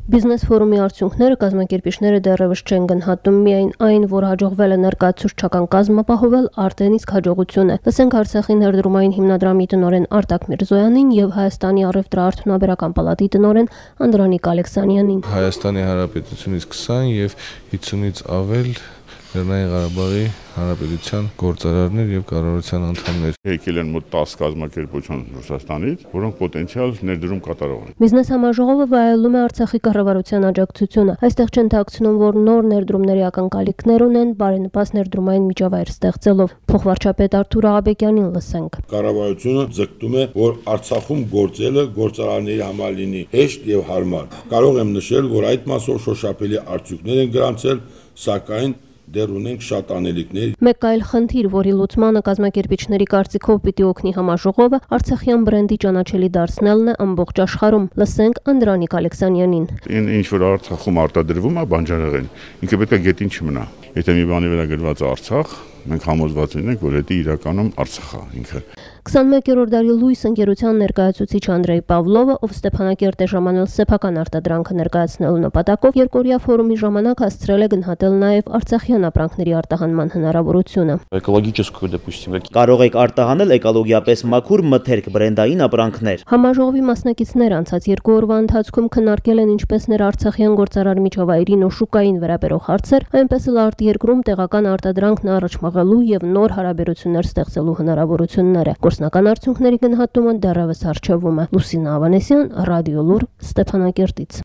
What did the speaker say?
Բիզնես ֆորումի արդյունքները կազմակերպիչները դեռևս չեն գնահատում, միայն այն, որ հաջողվել է ներկայացուցչական կազմ ապահովել, արդեն իսկ հաջողություն է։ Լսենք Արցախի ներդրումային հիմնադրամի տնօրեն Արտակ Միրզոյանին եւ Հայաստանի առևտրաարդյունաբերական պալատի տնօրեն Անդրանիկ Ալեքսանյանին։ Հայաստանի Հանրապետությունից 20 եւ 50-ից ավել Լեռնային Ղարաբաղի Հանրապետության գործարարներ եւ կառավարության անդամներ։ Եկել են մոտ 10 կազմակերպություն Ռուսաստանից, որոնք պոտենցիալ ներդրում կատարող են։ Բիզնես համաժողովը վայելում է Արցախի կառավարության աջակցությունը։ Այստեղ չընթացնում, որ նոր ներդրումների ակնկալիքներ ունեն, բարենպաստ ներդրումային միջավայր ստեղծելով։ Փոխվարչապետ Արթուր Աղաբեկյանին լսենք։ Կառավարությունը ձգտում է, որ Արցախում գործելը գործարարների համար լինի հեշտ եւ հարմար։ Կարող եմ նշել, որ այդ մասով շոշափելի արդյունքներ են գրանցել, սակայն դեռ ունենք շատ անելիքներ։ Մեկ այլ խնդիր, որի լուծմանը կազմակերպիչների կարծիքով պիտի օգնի համաժողովը, արցախյան բրենդի ճանաչելի դարձնելն է ամբողջ աշխարհում։ Լսենք Անդրանիկ Ալեքսանյանին։ Ինչ որ Արցախում արտադրվում է բանջարեղեն, ինքը պետք է գետին չմնա։ Եթե մի բանի վրա գրված է Արցախ, մենք համոզված ենք, որ դա իրականում Արցախ է ինքը։ 21-րդ դարի լույս ընկերության ներկայացուցիչ Անդրեյ Պավլովը, ով Ստեփանակերտ է ժամանել սեփական արտադրանքը ներկայացնելու նպատակով, երկօրյա ֆորումի ժամանակ հասցրել է գնահատել նաև արցախյան ապրանքների արտահանման հնարավորությունը։ Կարող եք արտահանել էկոլոգիապես մաքուր մթերք բրենդային ապրանքներ։ Համաժողովի մասնակիցները անցած 2 օրվա ընթացքում քննարկել են ինչպես ներարցախյան գործարար միջավայրին ու շուկային վերաբերող հարցեր, այնպես էլ արտերկրում տեղական արտադրանքն առաջ մղելու եւ նոր հարաբերություններ ստեղծելու հնարավորությունները։ Գործնական արդյունքների գնահատումը դեռևս արժևում է։ Լուսինա Ավանեսյան, Ռադիո Լուր, Ստեփանակերտից։